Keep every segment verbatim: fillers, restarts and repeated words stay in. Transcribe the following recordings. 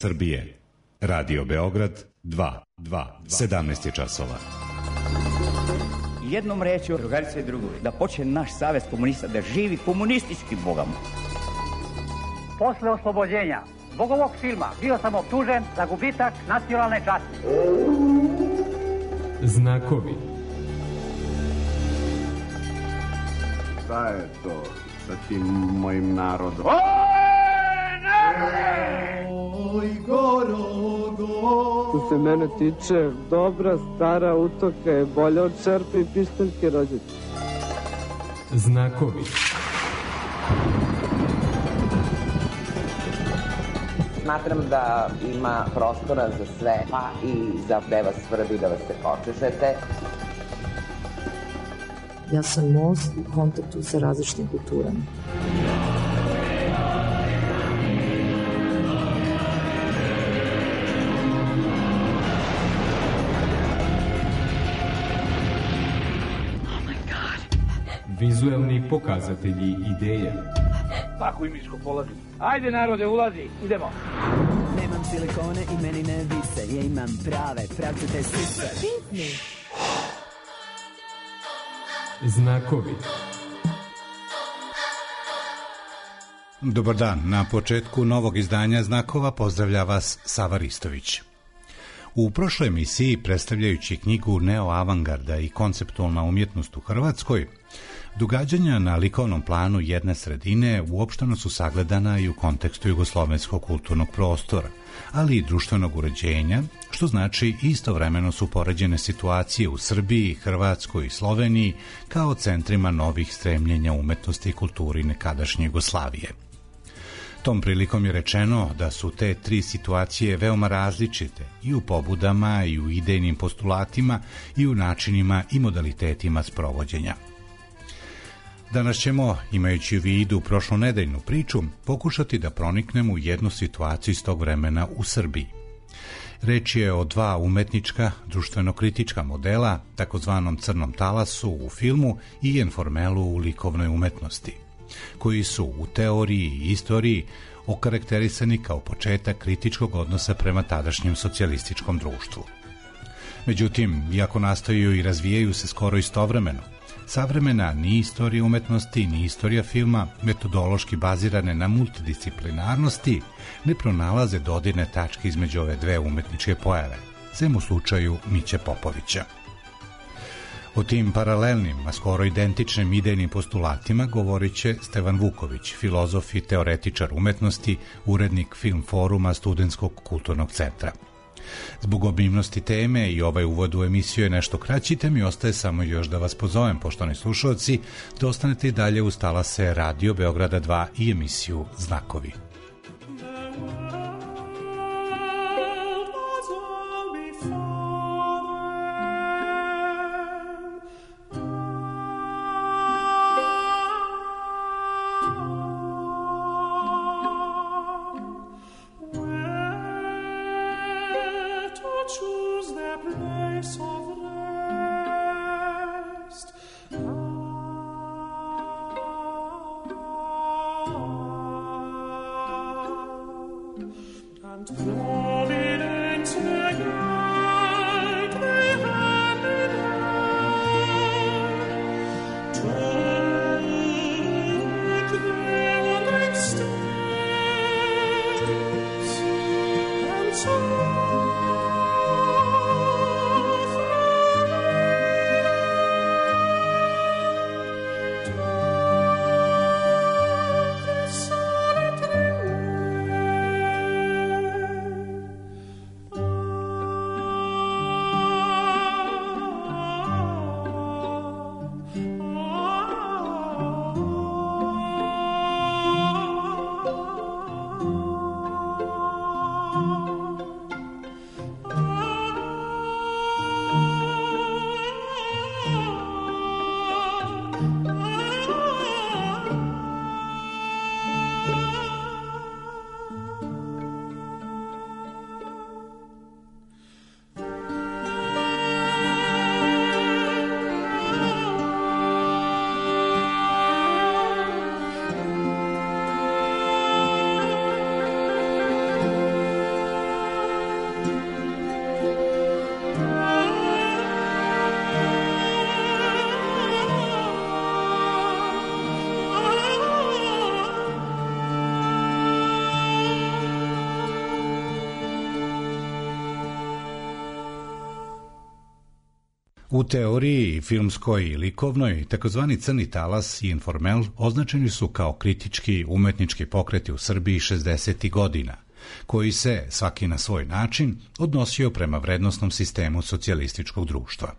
Srbije. Radio Beograd dva, dva, sedamnaest je časova. Jednom rečju, drugarice i drugovi, da počne naš savez komunista da živi komunistički bogama. Posle oslobođenja zbog ovog filma bio sam optužen za gubitak nacionalne časti. Znakovi. Šta je to sa tim mojim narodom? Oj, Gorogo. Što se mene tiče, dobra stara utoka je bolja od čerpe i pištaljke rođačke. Znakovi. Smatram da ima prostora za sve, pa i za da vas svrbi, da vas se počešete. Ja sam most u kontaktu sa različitim kulturama. Vizuelni pokazatelji ideje. Tako i miško polazi. Ajde narode, ulazi, idemo. Nemam silikone i meni ne vise, ja imam prave, pravcate sise. Pitni. Znakovi. Dobar dan, na početku novog izdanja Znakova pozdravlja vas Sava Ristović. U prošloj emisiji, predstavljajući knjigu Neoavangarda i konceptualna umjetnost u Hrvatskoj, događanja na likovnom planu jedne sredine uopšteno su sagledana i u kontekstu jugoslovenskog kulturnog prostora, ali i društvenog uređenja, što znači istovremeno su poređene situacije u Srbiji, Hrvatskoj i Sloveniji kao centrima novih stremljenja umetnosti i kulturi nekadašnje Jugoslavije. Tom prilikom je rečeno da su te tri situacije veoma različite i u pobudama i u idejnim postulatima i u načinima i modalitetima sprovođenja. Danas ćemo, imajući u vidu prošlonedeljnu priču, pokušati da proniknemo u jednu situaciju iz tog vremena u Srbiji. Reč je o dva umetnička, društveno-kritička modela, takozvanom crnom talasu u filmu i informelu u likovnoj umetnosti, koji su u teoriji i istoriji okarakterisani kao početak kritičkog odnosa prema tadašnjem socijalističkom društvu. Međutim, iako nastaju i razvijaju se skoro istovremeno, savremena ni istorija umetnosti, ni istorija filma, metodološki bazirane na multidisciplinarnosti, ne pronalaze dodirne tačke između ove dve umetničke pojave, sem u slučaju Miće Popovića. O tim paralelnim, a skoro identičnim idejnim postulatima govorit će Stevan Vuković, filozof i teoretičar umetnosti, urednik Film foruma Studentskog kulturnog centra. Zbog obimnosti teme i ovaj uvod u emisiju je nešto kraći, te mi ostaje samo još da vas pozovem, poštovani slušalci, da ostanete i dalje uz talase Radio Beograda dva i emisiju Znakovi. U teoriji filmskoj i likovnoj, takozvani crni talas i informel označeni su kao kritički umetnički pokreti u Srbiji šezdesetih godina, koji se, svaki na svoj način, odnosio prema vrednosnom sistemu socijalističkog društva.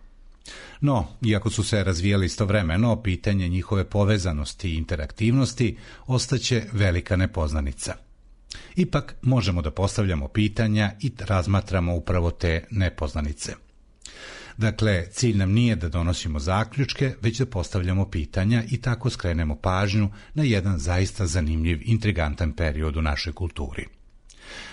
No, iako su se razvijali istovremeno, pitanje njihove povezanosti i interaktivnosti ostaće velika nepoznanica. Ipak možemo da postavljamo pitanja i razmatramo upravo te nepoznanice. Dakle, cilj nam nije da donosimo zaključke, već da postavljamo pitanja i tako skrenemo pažnju na jedan zaista zanimljiv, intrigantan period u našoj kulturi.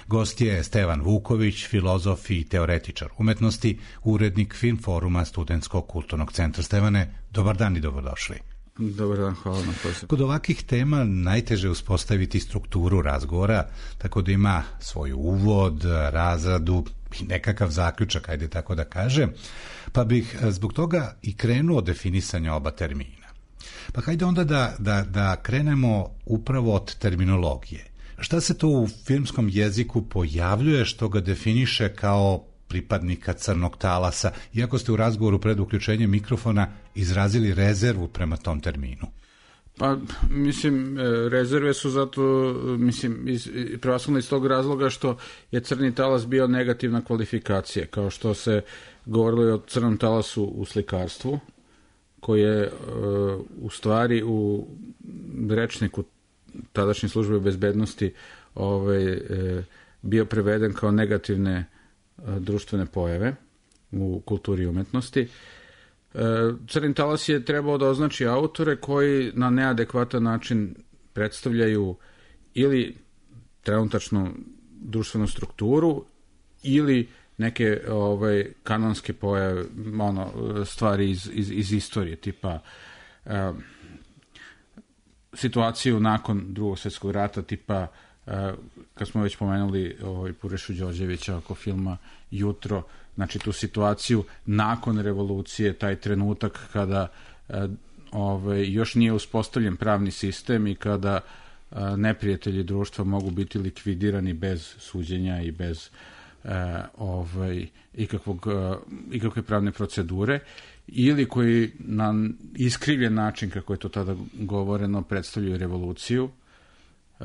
Gost je Stevan Vuković, filozof i teoretičar umetnosti, urednik Film foruma Studentskog kulturnog centra. Stevane, dobar dan i dobrodošli. Dobar dan, hvala na pozivu. Kod ovakvih tema najteže uspostaviti strukturu razgovora, tako da ima svoj uvod, razradu i nekakav zaključak, ajde tako da kažem, pa bih zbog toga i krenuo od definisanja oba termina. Pa hajde onda da, da, da krenemo upravo od terminologije. Šta se to u filmskom jeziku pojavljuje što ga definiše kao pripadnika crnog talasa, iako ste u razgovoru pred uključenjem mikrofona izrazili rezervu prema tom terminu? Pa, mislim, rezerve su zato, mislim, iz, prevashodno iz tog razloga što je crni talas bio negativna kvalifikacija, kao što se govorilo i o crnom talasu u slikarstvu, koji je u stvari u rečniku tadašnje službe bezbednosti ovaj, bio preveden kao negativne društvene pojave u kulturi i umetnosti. Crni talas je trebao da označi autore koji na neadekvatan način predstavljaju ili trenutačnu društvenu strukturu ili neke ovaj, kanonske pojave, ono, stvari iz, iz, iz istorije, tipa eh, situaciju nakon Drugog svjetskog rata, tipa uh, kad smo već pomenuli ovaj, Purešu Đorđevića oko filma Jutro, znači tu situaciju nakon revolucije, taj trenutak kada uh, ovaj, još nije uspostavljen pravni sistem i kada uh, neprijatelji društva mogu biti likvidirani bez suđenja i bez uh, ovaj, ikakvog, uh, ikakve pravne procedure, ili koji na iskrivljen način, kako je to tada govoreno, predstavljaju revoluciju. E,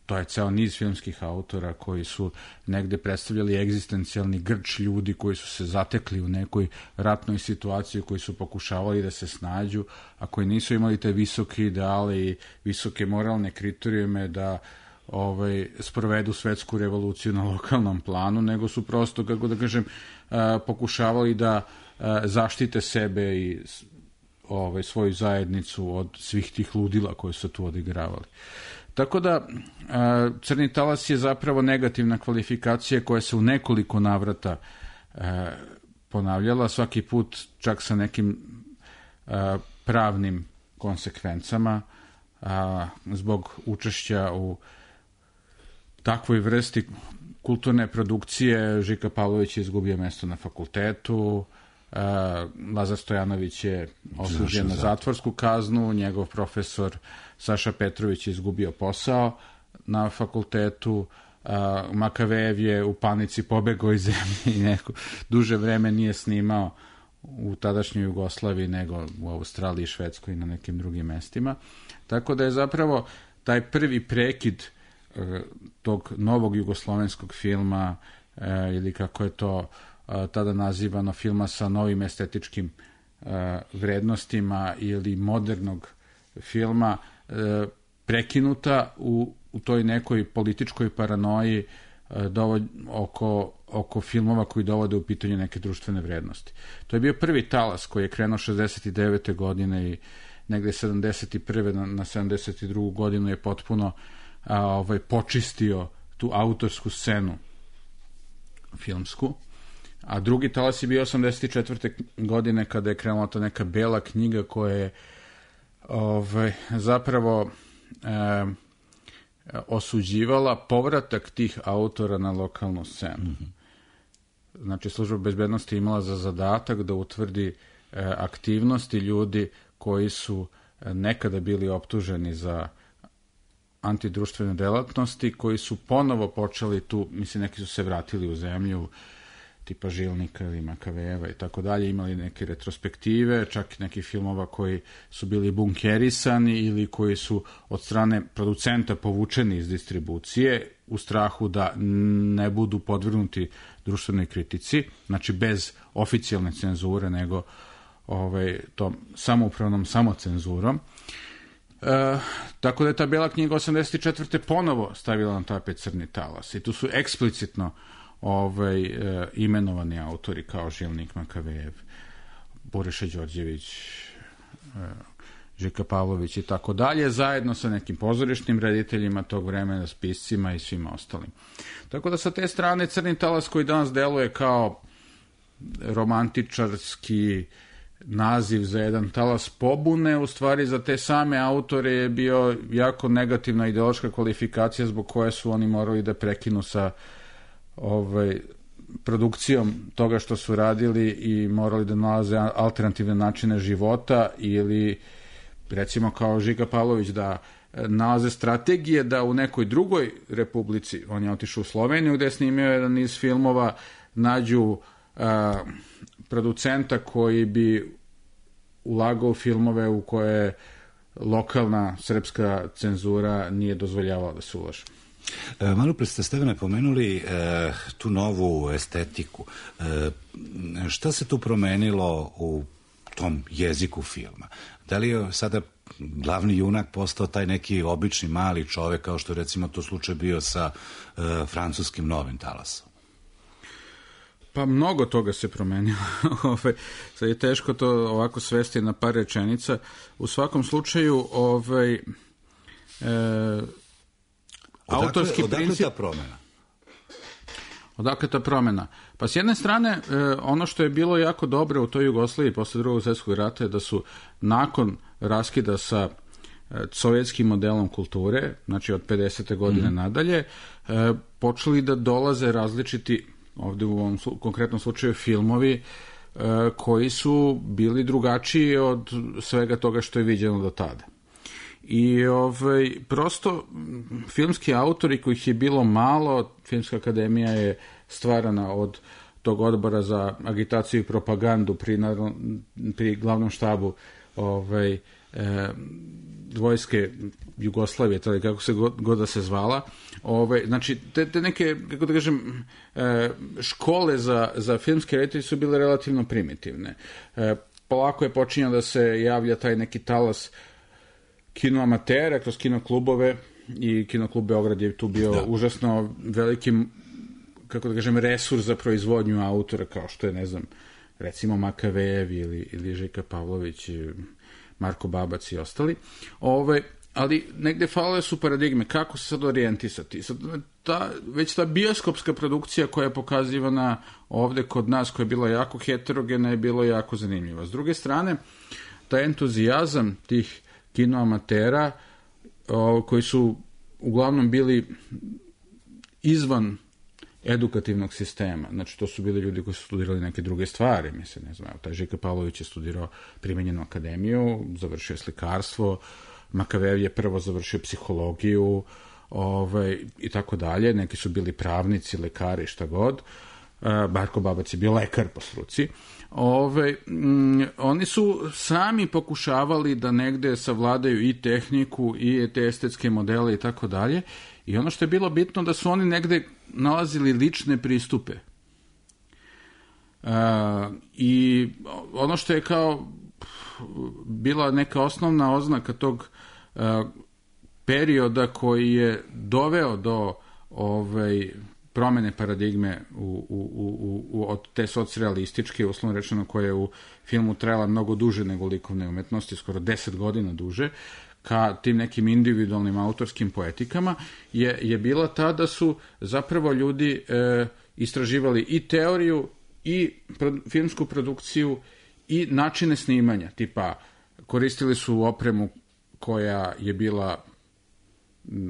to je ceo niz filmskih autora koji su negde predstavljali egzistencijalni grč ljudi koji su se zatekli u nekoj ratnoj situaciji, koji su pokušavali da se snađu, a koji nisu imali te visoke ideale i visoke moralne kriterijume da ovaj, sprovedu svetsku revoluciju na lokalnom planu, nego su prosto, kako da kažem, e, pokušavali da zaštite sebe i ovaj, svoju zajednicu od svih tih ludila koje su tu odigravali. Tako da, crni talas je zapravo negativna kvalifikacija koja se u nekoliko navrata ponavljala, svaki put čak sa nekim pravnim konsekvencama zbog učešća u takvoj vrsti kulturne produkcije. Žika Pavlović je izgubio mesto na fakultetu, Uh, Lazar Stojanović je osuđen na zatvorsku kaznu, njegov profesor Saša Petrović je izgubio posao na fakultetu, uh, Makavejev je u panici pobegao iz zemlje i neko duže vreme nije snimao u tadašnjoj Jugoslaviji nego u Australiji, Švedskoj i na nekim drugim mestima. Tako da je zapravo taj prvi prekid uh, tog novog jugoslovenskog filma uh, ili kako je to tada nazivano filma sa novim estetičkim uh, vrednostima ili modernog filma uh, prekinuta u, u toj nekoj političkoj paranoji uh, dovod, oko, oko filmova koji dovode u pitanje neke društvene vrednosti. To je bio prvi talas koji je krenuo šezdeset devete godine i negde sedamdeset prve na, na sedamdeset drugu godinu je potpuno a, ovaj, počistio tu autorsku scenu filmsku. A drugi talas je bio osamdeset četvrte godine kada je krenula ta neka bela knjiga koja je ovaj, zapravo e, osuđivala povratak tih autora na lokalnu scenu. Mm-hmm. Znači, služba bezbednosti je imala za zadatak da utvrdi e, aktivnosti ljudi koji su e, nekada bili optuženi za antidruštvene delatnosti, koji su ponovo počeli tu, mislim, neki su se vratili u zemlju, tipa Žilnika ili Makavejeva i tako dalje, imali neke retrospektive, čak i nekih filmova koji su bili bunkerisani ili koji su od strane producenta povučeni iz distribucije u strahu da ne budu podvrgnuti društvenoj kritici, znači bez oficijalne cenzure, nego ovaj, tom samoupravnom samocenzurom. E, tako da je ta Bijela knjiga osamdeset četvrte ponovo stavila na tapet Crni talas i tu su eksplicitno ovaj, e, imenovani autori kao Žilnik, Makavejev, Boriša Đorđević, e, Žika Pavlović i tako dalje, zajedno sa nekim pozorišnim rediteljima tog vremena, spiscima i svima ostalim. Tako da sa te strane Crni talas, koji danas deluje kao romantičarski naziv za jedan talas pobune, u stvari za te same autore je bio jako negativna ideološka kvalifikacija zbog koje su oni morali da prekinu sa ovaj, produkcijom toga što su radili i morali da nalaze alternativne načine života ili recimo kao Žika Pavlović da nalaze strategije da u nekoj drugoj republici, on je otišao u Sloveniju gde je snimio jedan niz filmova, nađu a, producenta koji bi ulagao filmove u koje lokalna srpska cenzura nije dozvoljavala da se ulaže. E, malo pre ste, Stevane, pomenuli e, tu novu estetiku. E, šta se tu promenilo u tom jeziku filma? Da li je sada glavni junak postao taj neki obični mali čovek, kao što je recimo to slučaj bio sa e, francuskim Novim talasom? Pa mnogo toga se promenilo. Sad je teško to ovako svesti na par rečenica. U svakom slučaju ovaj, e, odakle, autorski odakle princip... ta promena? Odakle ta promena? Pa s jedne strane, e, ono što je bilo jako dobro u toj Jugoslaviji posle drugog svjetskog rata je da su nakon raskida sa e, sovjetskim modelom kulture, znači od pedesete godine mm-hmm. nadalje, e, počeli da dolaze različiti, ovde u ovom konkretnom slučaju, filmovi e, koji su bili drugačiji od svega toga što je viđeno do tada. I ovaj, prosto filmski autori kojih je bilo malo, Filmska akademija je stvarana od tog odbora za agitaciju i propagandu pri, pri glavnom štabu ovaj, e, vojske Jugoslavije, tada kako se god, god da se zvala. Ovaj, znači, te, te neke, kako da kažem, e, škole za, za filmske reditelje su bile relativno primitivne. E, polako je počinjao da se javlja taj neki talas kino amatera kroz kino klubove i kino klub Beograd je tu bio da. užasno veliki, kako da kažem, resurs za proizvodnju autora, kao što je, ne znam, recimo Makavejev ili, ili Žika Pavlović, Marko Babac i ostali. Ove, ali negde falile su paradigme, kako se sad orijentisati. Sad, ta, već ta bioskopska produkcija koja je pokazivana ovde kod nas, koja je bila jako heterogena, je bilo jako zanimljiva. S druge strane, taj entuzijazam tih kino amatera, o, koji su uglavnom bili izvan edukativnog sistema. Znači, to su bili ljudi koji su studirali neke druge stvari. Mislim, ne znam, taj Žika Pavlović je studirao primenjenu akademiju, završio je slikarstvo, Makavejev je prvo završio psihologiju, ovaj, i tako dalje. Neki su bili pravnici, lekari, šta god. Marko Babac je bio lekar po struci. Ove, mm, oni su sami pokušavali da negde savladaju i tehniku i te estetske modele i tako dalje. I ono što je bilo bitno da su oni negde nalazili lične pristupe. E, I ono što je kao bila neka osnovna oznaka tog e, perioda koji je doveo do ovaj, promene paradigme u, u, u, u, od te socrealističke, uslovno rečeno, koja je u filmu trajala mnogo duže nego likovne umetnosti, skoro deset godina duže, ka tim nekim individualnim autorskim poetikama, je, je bila ta da su zapravo ljudi e, istraživali i teoriju, i pro, filmsku produkciju, i načine snimanja. Tipa, koristili su opremu koja je bila,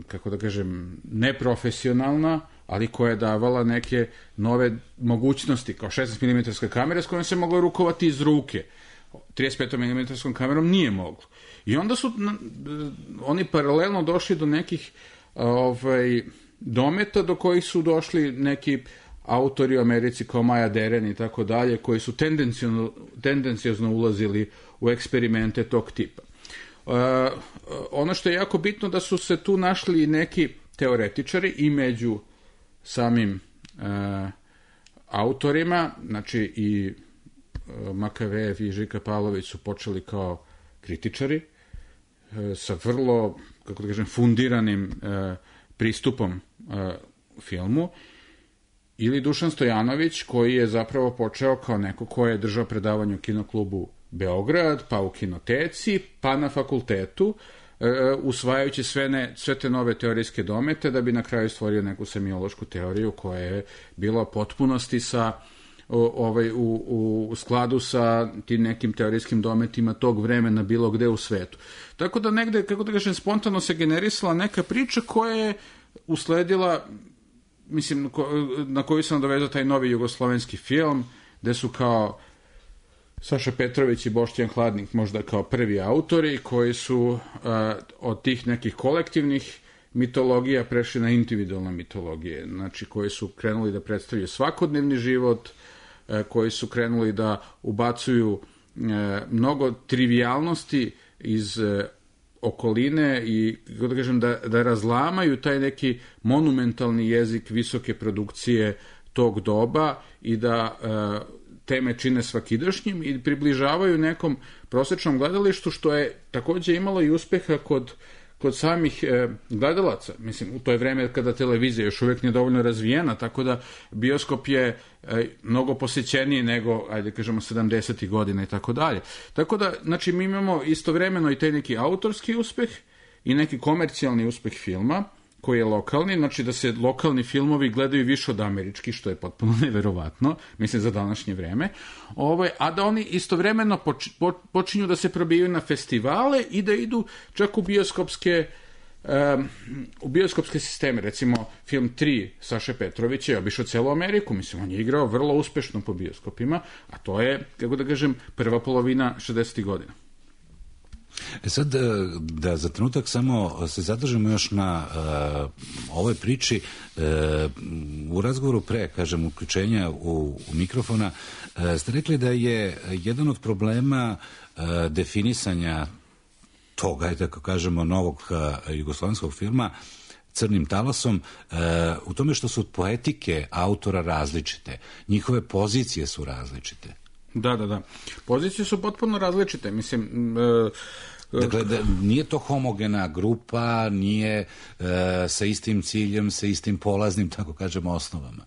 kako da kažem, neprofesionalna, ali koja je davala neke nove mogućnosti, kao šesnaest milimetarska kamera s kojom se moglo rukovati iz ruke. trideset pet milimetarska kamerom nije moglo. I onda su oni paralelno došli do nekih ovaj, dometa do kojih su došli neki autori u Americi kao Maja Deren i tako dalje, koji su tendencijozno, tendencijozno ulazili u eksperimente tog tipa. Uh, ono što je jako bitno da su se tu našli neki teoretičari i među samim uh, autorima, znači i uh, Makavejev i Žika Pavlović su počeli kao kritičari uh, sa vrlo, kako da kažem, fundiranim uh, pristupom uh, filmu, ili Dušan Stojanović, koji je zapravo počeo kao neko ko je držao predavanje u Kinoklubu Beograd, pa u Kinoteci, pa na fakultetu, e, usvajajući sve, ne, sve te nove teorijske domete, da bi na kraju stvorio neku semiološku teoriju koja je bila u potpunosti sa, o, ovaj, u, u skladu sa tim nekim teorijskim dometima tog vremena bilo gde u svetu. Tako da negde, kako da kažem, spontano se generisala neka priča koja je usledila, mislim, na koju sam dovezao taj novi jugoslovenski film, gde su kao Saša Petrović i Boštjan Hladnik možda kao prvi autori koji su uh, od tih nekih kolektivnih mitologija prešli na individualne mitologije, znači koji su krenuli da predstavljaju svakodnevni život, uh, koji su krenuli da ubacuju uh, mnogo trivijalnosti iz uh, okoline i da kažem da, da razlamaju taj neki monumentalni jezik visoke produkcije tog doba i da uh, teme čine svakidašnjim i približavaju nekom prosečnom gledalištu, što je takođe imalo i uspeha kod, kod samih e, gledalaca. Mislim, u to je vreme kada televizija još uvek nije dovoljno razvijena, tako da bioskop je e, mnogo posećeniji nego, ajde kažemo, sedamdesetih godina i tako dalje. Tako da, znači, mi imamo istovremeno i taj neki autorski uspeh i neki komercijalni uspeh filma, koji je lokalni, znači da se lokalni filmovi gledaju više od američkih, što je potpuno neverovatno, mislim za današnje vreme, ovaj, a da oni istovremeno poč, po, počinju da se probijaju na festivale i da idu čak u bioskopske um, u bioskopske sisteme. Recimo, film tri Saše Petrovića je obišao celu Ameriku, mislim, on je igrao vrlo uspešno po bioskopima, a to je, kako da kažem, prva polovina šezdesetih godina. E sad, da za trenutak samo se zadržimo još na uh, ovoj priči, uh, u razgovoru pre, kažem, uključenja u, u mikrofona, uh, ste rekli da je jedan od problema uh, definisanja toga, ajde tako kažemo, novog uh, jugoslovenskog filma Crnim talasom, uh, u tome što su poetike autora različite, njihove pozicije su različite. Da, da, da. Pozicije su potpuno različite, mislim... E, dakle, da, nije to homogena grupa, nije e, sa istim ciljem, sa istim polaznim, tako kažemo, osnovama.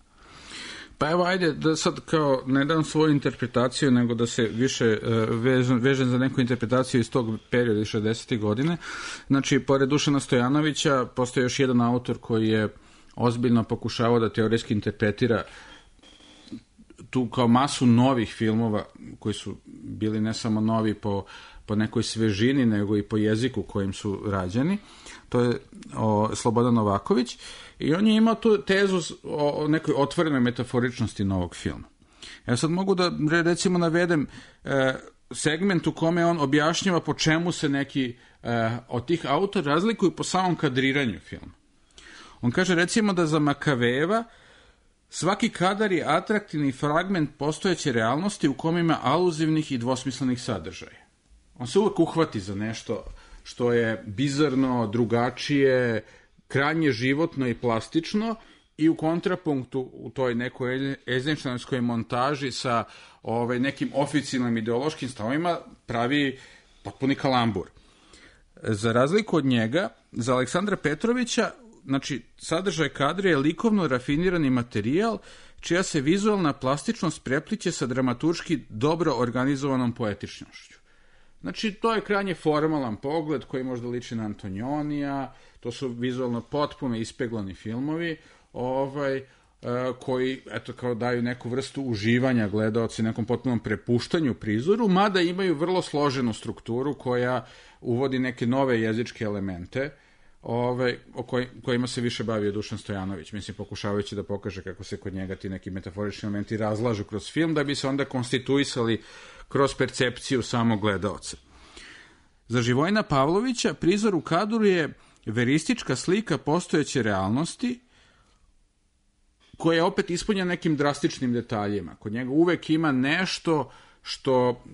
Pa evo, ajde, da sad kao ne dam svoju interpretaciju, nego da se više e, vežem, vežem za neku interpretaciju iz tog perioda iz šezdesetih godine. Znači, pored Dušana Stojanovića, postoji još jedan autor koji je ozbiljno pokušavao da teorijski interpretira tu kao masu novih filmova koji su bili ne samo novi po, po nekoj svežini, nego i po jeziku kojim su rađeni. To je o, Slobodan Novaković i on je imao tu tezu o, o nekoj otvorenoj metaforičnosti novog filma. Ja sad mogu da recimo navedem e, segment u kome on objašnjava po čemu se neki e, od tih autora razlikuju po samom kadriranju filma. On kaže recimo da za Makavejeva svaki kadar je atraktivni fragment postojeće realnosti u kome ima aluzivnih i dvosmislenih sadržaja. On se uvek uhvati za nešto što je bizarno, drugačije, krajnje životno i plastično i u kontrapunktu u toj nekoj Eisensteinskoj montaži sa ovaj, nekim oficijalnim ideološkim stavovima pravi potpuni kalambur. Za razliku od njega, za Aleksandra Petrovića, znači, sadržaj kadra je likovno rafinirani materijal čija se vizualna plastičnost prepliće sa dramaturški dobro organizovanom poetičnošću. Znači, to je krajnje formalan pogled koji možda liči na Antonionija, to su vizualno potpuno ispeglani filmovi, ovaj, koji, eto, kao daju neku vrstu uživanja gledaoci, nekom potpunom prepuštanju prizoru, mada imaju vrlo složenu strukturu koja uvodi neke nove jezičke elemente, Ove, o koj, kojima se više bavio Dušan Stojanović, mislim, pokušavajući da pokaže kako se kod njega ti neki metaforični elementi razlažu kroz film, da bi se onda konstituisali kroz percepciju samog gledaoca. Za Živojina Pavlovića prizor u kadru je veristička slika postojeće realnosti koja je opet ispunjena nekim drastičnim detaljima. Kod njega uvek ima nešto što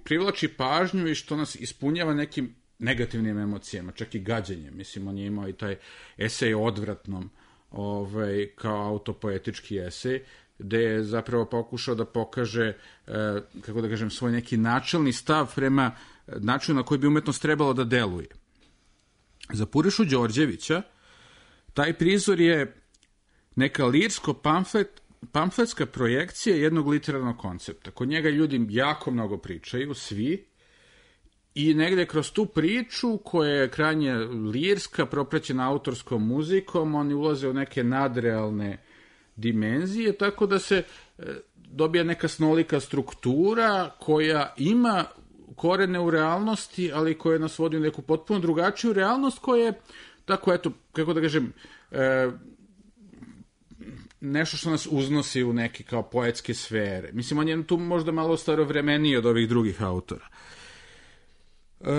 privlači pažnju i što nas ispunjava nekim negativnim emocijama, čak i gađenjem. Mislim, on je imao i taj esej o odvratnom, ovaj, kao autopoetički esej, gde je zapravo pokušao da pokaže, eh, kako da kažem, svoj neki načelni stav prema načinu na koji bi umetnost trebalo da deluje. Za Purišu Đorđevića taj prizor je neka lirsko-pamflet, pamfletska projekcija jednog literarnog koncepta. Kod njega ljudi jako mnogo pričaju, svi, i negde kroz tu priču, koja je krajnje lirska, propraćena autorskom muzikom, oni ulaze u neke nadrealne dimenzije, tako da se dobija neka snolika struktura koja ima korene u realnosti, ali koja nas vodi u neku potpuno drugačiju realnost, koja je, tako eto, kako da kažem, e, nešto što nas uznosi u neke kao poetske sfere. Mislim, on je tu možda malo starovremeniji od ovih drugih autora. E,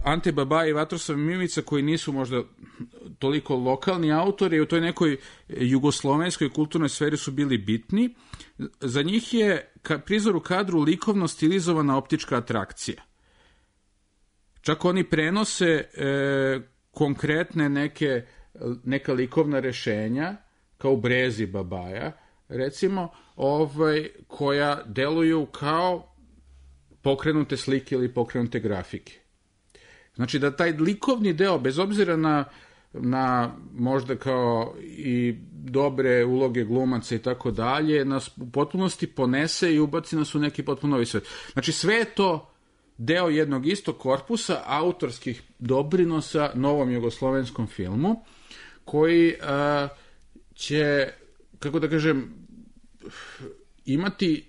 Ante Babaj i Vatroslav Mimica, koji nisu možda toliko lokalni autori, u toj nekoj jugoslovenskoj kulturnoj sferi su bili bitni. Za njih je ka, prizor u kadru likovno stilizovana optička atrakcija. Čak oni prenose e, konkretne neke, neka likovna rešenja, kao u Brezi Babaja, recimo, ovaj, koja deluju kao pokrenute slike ili pokrenute grafike. Znači da taj likovni deo, bez obzira na, na možda kao i dobre uloge glumaca i tako dalje, nas u potpunosti ponese i ubaci nas u neki potpuno novi svet. Znači sve je to deo jednog istog korpusa autorskih doprinosa novom jugoslovenskom filmu, koji a, će, kako da kažem, imati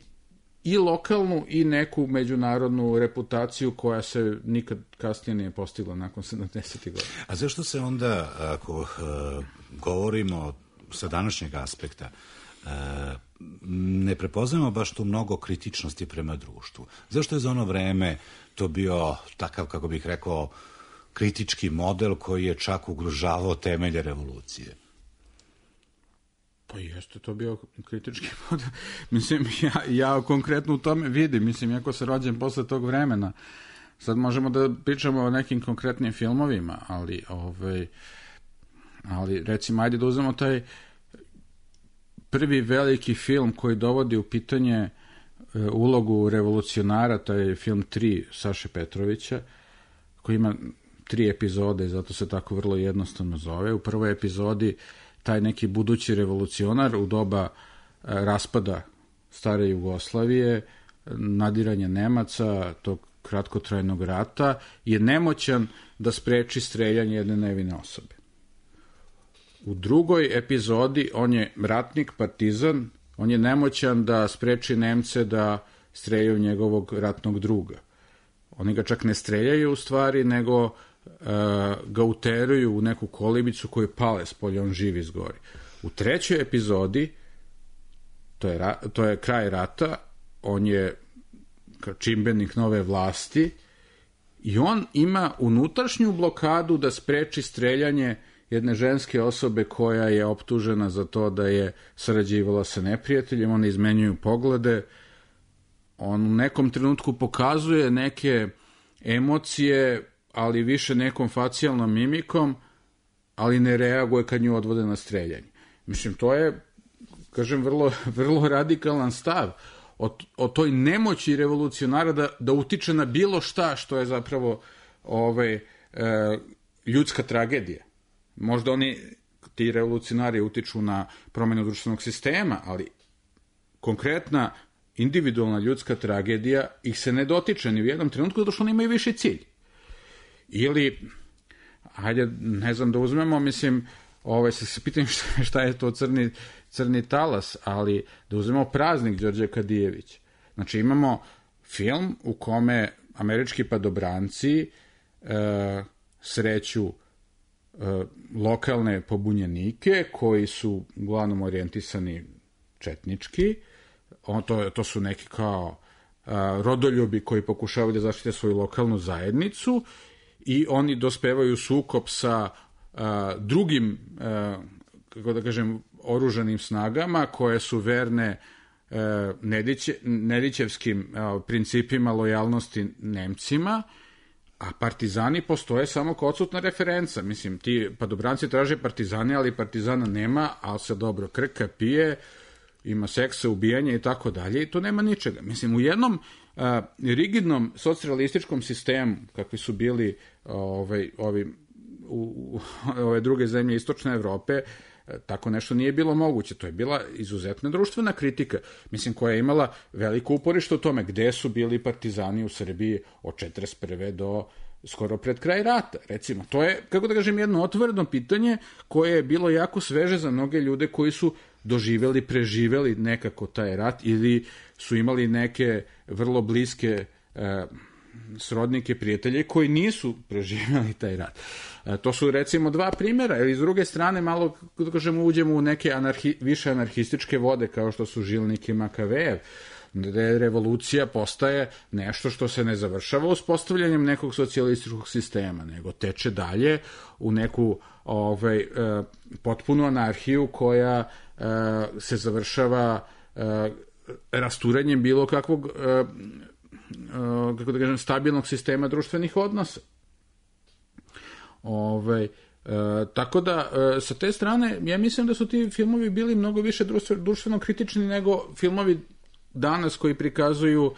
i lokalnu i neku međunarodnu reputaciju koja se nikad kasnije nije postigla nakon sedamdesetih godina. A zašto se onda, ako uh, govorimo sa današnjeg aspekta, uh, ne prepoznajemo baš tu mnogo kritičnosti prema društvu? Zašto je za ono vreme to bio takav, kako bih rekao, kritički model koji je čak ugrožavao temelje revolucije? Pa jeste to bio kritički model. Mislim, ja, ja konkretno u tome vidim, mislim, jako se rođem posle tog vremena. Sad možemo da pričamo o nekim konkretnim filmovima, ali, ovaj, ali recimo, ajde da uzmemo taj prvi veliki film koji dovodi u pitanje e, ulogu revolucionara, taj film tri Saše Petrovića, koji ima tri epizode i zato se tako vrlo jednostavno zove. U prvoj epizodi taj neki budući revolucionar u doba e, raspada stare Jugoslavije, nadiranja Nemaca, tog kratkotrajnog rata, je nemoćan da spreči streljanje jedne nevine osobe. U drugoj epizodi on je ratnik, partizan, on je nemoćan da spreči Nemce da streljaju njegovog ratnog druga. Oni ga čak ne streljaju u stvari, nego uh, ga uteruju u neku kolibicu koju pale spolje, on živ izgori. U trećoj epizodi, to je, ra, to je kraj rata, on je čimbenik nove vlasti i on ima unutrašnju blokadu da spreči streljanje jedne ženske osobe koja je optužena za to da je sarađivala sa neprijateljem, one izmenjuju poglede, on u nekom trenutku pokazuje neke emocije, ali više nekom facijalnom mimikom, ali ne reaguje kad nju odvode na streljanje. Mislim, to je, kažem, vrlo, vrlo radikalan stav o, o toj nemoći revolucionara da, da utiče na bilo šta što je zapravo ovaj, e, ljudska tragedija. Možda oni, ti revolucionari, utiču na promjenu društvenog sistema, ali konkretna individualna ljudska tragedija ih se ne dotiče ni u jednom trenutku, zato što oni imaju viši cilj. Ili, hajde, ne znam da uzmemo, mislim, ovaj, se, se pitam šta, šta je to crni, crni talas, ali da uzmemo Praznik Đorđe Kadijević. Znači, imamo film u kome američki padobranci e, sreću e, lokalne pobunjenike koji su uglavnom orijentisani četnički. On, to, to su neki kao a, rodoljubi koji pokušavaju da zaštite svoju lokalnu zajednicu i oni dospevaju sukob sa a, drugim a, kako da kažem, oružanim snagama koje su verne e, Nediće, Nedićevskim e, principima lojalnosti Nemcima, a partizani postoje samo kao odsutna referenca. Mislim, ti padobranci traže partizane, ali partizana nema, ali se dobro krka, pije, ima seksa, ubijanja i tako dalje, i to nema ničega. Mislim, u jednom a, rigidnom socijalističkom sistemu, kakvi su bili ovaj, ovi, u, u, ove druge zemlje istočne Evrope, tako nešto nije bilo moguće. To je bila izuzetna društvena kritika, mislim, koja je imala veliko uporište u tome gde su bili partizani u Srbiji od četrdeset prve do skoro pred kraj rata. Recimo, to je, kako da kažem, jedno otvoreno pitanje koje je bilo jako sveže za mnoge ljude koji su doživeli, preživeli nekako taj rat ili su imali neke vrlo bliske e, srodnike, prijatelje koji nisu preživjeli taj rat. E, to su recimo dva primjera, ili s druge strane malo, da kažemo, uđemo u neke anarhi, više anarhističke vode kao što su Žilnik i Makavejev, gde revolucija postaje nešto što se ne završava uspostavljanjem nekog socijalističkog sistema, nego teče dalje u neku ovaj, e, potpunu anarhiju koja e, se završava e, rasturanjem bilo kakvog e, kako da kažem, stabilnog sistema društvenih odnosa. Ove, e, tako da, e, sa te strane, ja mislim da su ti filmovi bili mnogo više društveno kritični nego filmovi danas koji prikazuju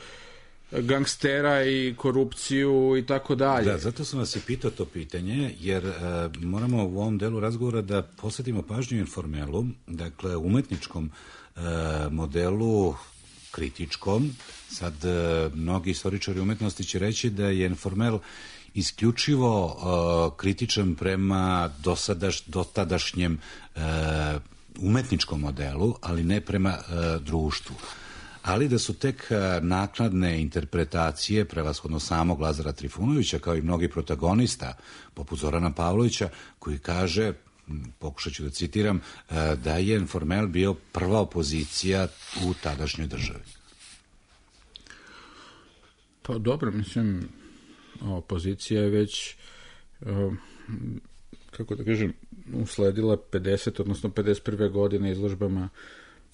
gangstera i korupciju i tako dalje. Da, zato sam vas i pitao to pitanje, jer e, moramo u ovom delu razgovora da posvetimo pažnju Informelu, dakle, umetničkom e, modelu kritičkom. Sad, e, mnogi istoričari umetnosti će reći da je Informel isključivo e, kritičan prema dosadaš, dotadašnjem e, umetničkom modelu, ali ne prema e, društvu. Ali da su tek naknadne interpretacije, prevashodno samog Lazara Trifunovića, kao i mnogi protagonista, poput Zorana Pavlovića, koji kaže, pokušat ću da citiram, da je Informel bio prva opozicija u tadašnjoj državi. Pa dobro, mislim, opozicija je već, kako da kažem, usledila pedeset, odnosno pedeset prve godine izložbama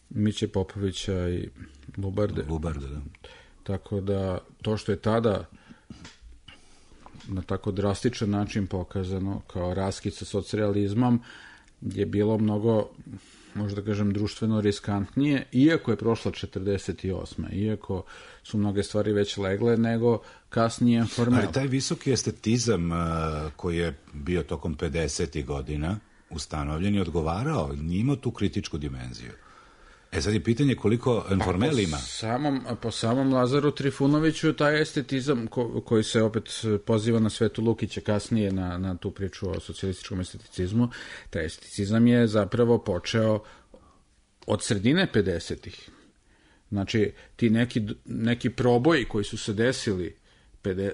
Miće Popovića i Lubarde. Lubarde, da. Tako da, to što je tada na tako drastičan način pokazano kao raskid sa socrealizmom je bilo mnogo, možda kažem, društveno riskantnije, iako je prošla četrdeset osma, iako su mnoge stvari već legle, nego kasnije Informel. Ali taj visoki estetizam koji je bio tokom pedesetih godina ustanovljen i odgovarao, nije imao tu kritičku dimenziju. E sad je pitanje koliko Informel ima. Po samom, po samom Lazaru Trifunoviću taj estetizam ko, koji se opet poziva na Svetu Lukića kasnije na, na tu priču o socijalističkom esteticizmu, taj esteticizam je zapravo počeo od sredine pedesetih. Znači, ti neki, neki proboji koji su se desili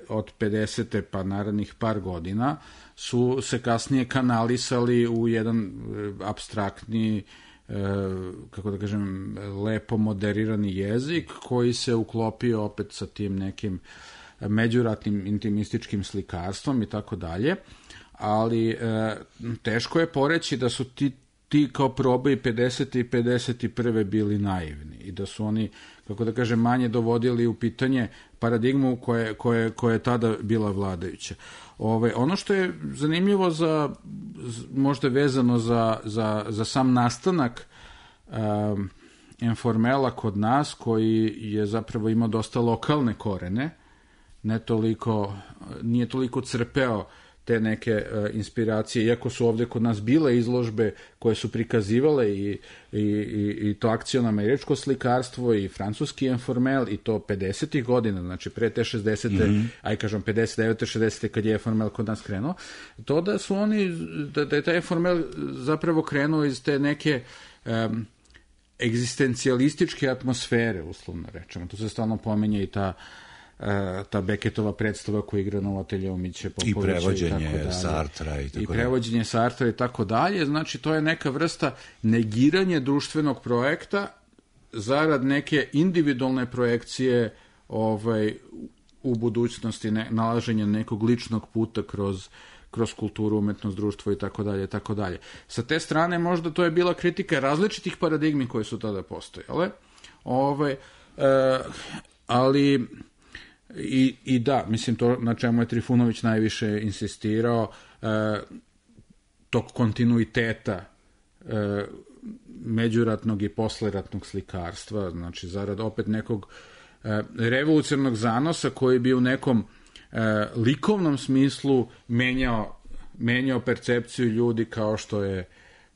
od pedesete pa narednih par godina su se kasnije kanalisali u jedan apstraktni, kako da kažem, lepo moderirani jezik koji se uklopio opet sa tim nekim međuratnim intimističkim slikarstvom i tako dalje, ali e, teško je poreći da su ti, ti kao probe i pedesete i pedeset prve bili naivni i da su oni, kako da kažem, manje dovodili u pitanje paradigmu koje, koje, koje je tada bila vladajuća. Ove, ono što je zanimljivo za, možda vezano za, za, za sam nastanak um, Informela kod nas, koji je zapravo imao dosta lokalne korene, ne toliko, nije toliko crpeo te neke uh, inspiracije, iako su ovde kod nas bile izložbe koje su prikazivale i, i, i, i to akciono američko slikarstvo i francuski Informel i to pedesetih godina, znači pre te šezdesete, mm-hmm. aj kažem pedeset devete šezdesete kad je Informel kod nas krenuo, to da su oni, da, da je taj Informel zapravo krenuo iz te neke um, egzistencijalističke atmosfere, uslovno rečemo, tu se stalno pomenje i ta ta Beketova predstava koja igra na Ateljeu Miće Popovića i prevođenje Sartra i tako i prevođenje Sartra i tako dalje. Znači, to je neka vrsta negiranja društvenog projekta zarad neke individualne projekcije ovaj, u budućnosti, ne, nalaženja nekog ličnog puta kroz, kroz kulturu, umetnost, društvo i tako dalje, tako dalje. Sa te strane možda to je bila kritika različitih paradigmi koje su tada postojale. Ove, e, ali i, i da, mislim to na čemu je Trifunović najviše insistirao, e, tog kontinuiteta e, međuratnog i posleratnog slikarstva, znači zarad opet nekog e, revolucionarnog zanosa koji bi u nekom e, likovnom smislu menjao, menjao percepciju ljudi kao što je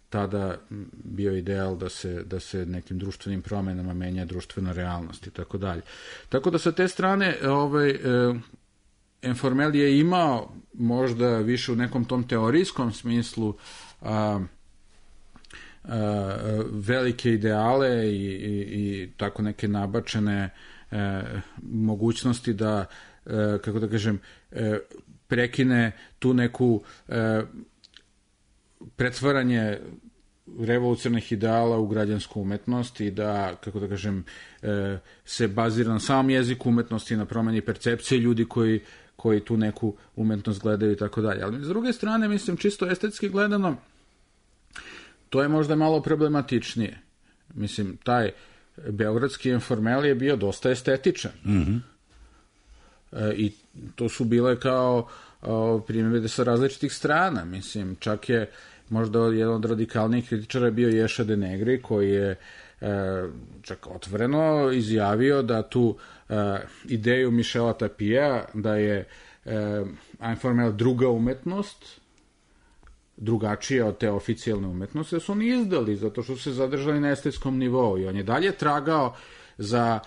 tada bio ideal da se, da se nekim društvenim promenama menja društvena realnost i tako dalje. Tako da sa te strane ovaj, e, Informel je imao možda više u nekom tom teorijskom smislu a, a, velike ideale i, i, i tako neke nabačene e, mogućnosti da, e, kako da kažem, e, prekine tu neku e, pretvaranje revolucionarnih ideala u građansku umetnost i da, kako da kažem, e, se bazira na samom jeziku umetnosti, na promeni percepcije ljudi koji, koji tu neku umetnost gledaju i tako dalje. Ali s druge strane, mislim, čisto estetski gledano, to je možda malo problematičnije. Mislim, taj beogradski Informel je bio dosta estetičan. Mm-hmm. E, I to su bile kao primjere sa različitih strana. Mislim, čak je možda jedan od radikalnijih kritičara bio Ješa de Negri, koji je e, čak otvoreno izjavio da tu e, ideju Michela Tapija, da je e, Informel druga umetnost, drugačija od te oficijalne umetnosti, da su oni izdali, zato što su se zadržali na estetskom nivou i on je dalje tragao za,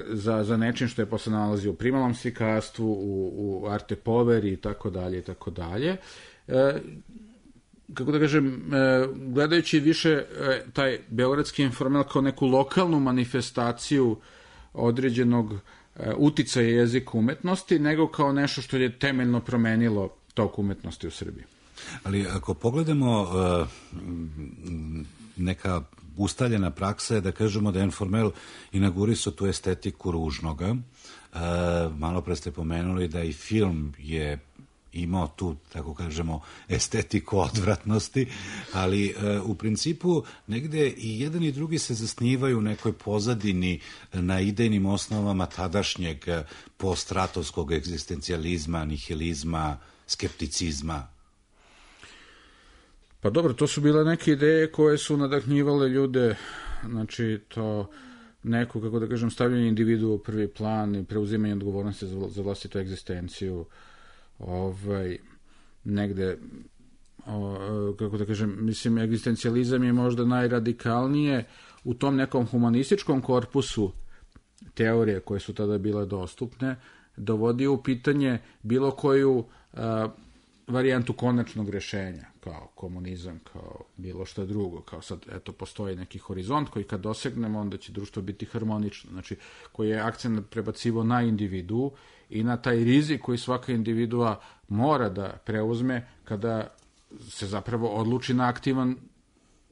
za, za nečim što je posle nalazi u primalnom slikarstvu, u, u arte poveri i tako dalje i tako dalje. E, kako da kažem, e, gledajući više e, taj beogradski Informel kao neku lokalnu manifestaciju određenog e, uticaja jezika umetnosti, nego kao nešto što je temeljno promenilo tok umetnosti u Srbiji. Ali ako pogledamo uh, neka ustaljena praksa je da kažemo da je Informel inaugurisao tu estetiku ružnoga. Uh, malo pre ste pomenuli da i film je imao tu, tako kažemo, estetiku odvratnosti, ali uh, u principu negde i jedan i drugi se zasnivaju u nekoj pozadini na idejnim osnovama tadašnjeg poststratovskog egzistencijalizma, nihilizma, skepticizma. Pa dobro, to su bile neke ideje koje su nadahnjivale ljude, znači to neko, kako da kažem, stavljanje individua u prvi plan i preuzimanje odgovornosti za, za vlastitu egzistenciju, ovaj, negde, o, kako da kažem, mislim, egzistencijalizam je možda najradikalnije u tom nekom humanističkom korpusu teorije koje su tada bile dostupne, dovodio u pitanje bilo koju a, varijantu konačnog rešenja, kao komunizam, kao bilo šta drugo, kao sad, eto, postoji neki horizont koji kad dosegnemo, onda će društvo biti harmonično, znači, koji je akcent prebacivo na individu i na taj rizik koji svaka individua mora da preuzme kada se zapravo odluči na aktivan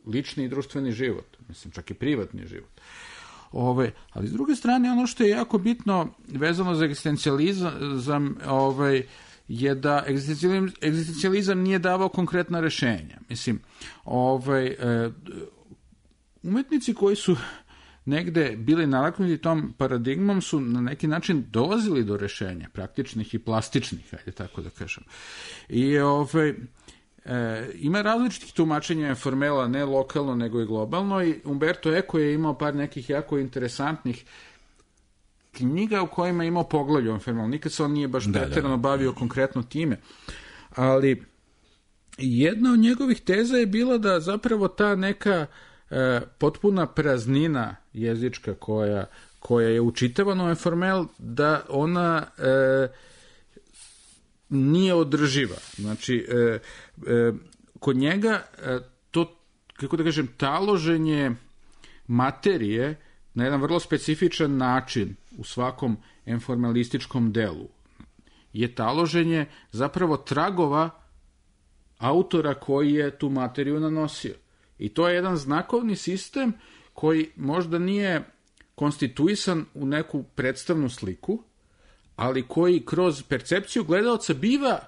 lični i društveni život, mislim, čak i privatni život. Ove, ali s druge strane, ono što je jako bitno vezano za egzistencijalizam, ovaj, je da egzistencijalizam, egzistencijalizam nije davao konkretna rešenja. Mislim, ovaj, e, umetnici koji su negde bili nalaknuti tom paradigmom su na neki način dolazili do rešenja, praktičnih i plastičnih, ajde tako da kažem. I ovaj, e, ima različitih tumačenja Informela, ne lokalno, nego i globalno, i Umberto Eco je imao par nekih jako interesantnih knjiga u kojima je imao poglavlje o Informelu. Nikad se on nije baš preterano bavio konkretno time. Ali jedna od njegovih teza je bila da zapravo ta neka e, potpuna praznina jezička koja, koja je učitavana u Informel, da ona e, nije održiva. Znači, e, e, kod njega e, to, kako da kažem, taloženje materije na jedan vrlo specifičan način u svakom informalističkom delu je taloženje zapravo tragova autora koji je tu materiju nanosio. I to je jedan znakovni sistem koji možda nije konstituisan u neku predstavnu sliku, ali koji kroz percepciju gledaoca biva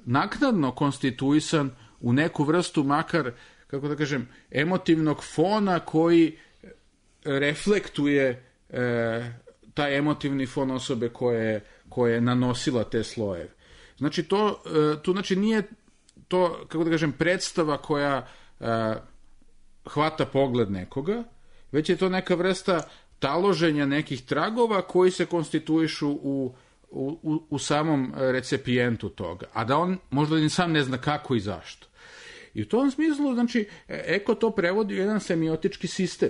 naknadno konstituisan u neku vrstu makar, kako da kažem, emotivnog fona koji reflektuje e, taj emotivni fon osobe koje, koje je nanosila te slojeve. Znači, to, e, tu znači nije to, kako da kažem, predstava koja e, hvata pogled nekoga, već je to neka vrsta taloženja nekih tragova koji se konstituišu u, u, u samom recipijentu toga, a da on možda ni sam ne zna kako i zašto. I u tom smislu, znači, Eko to prevodi u jedan semiotički sistem.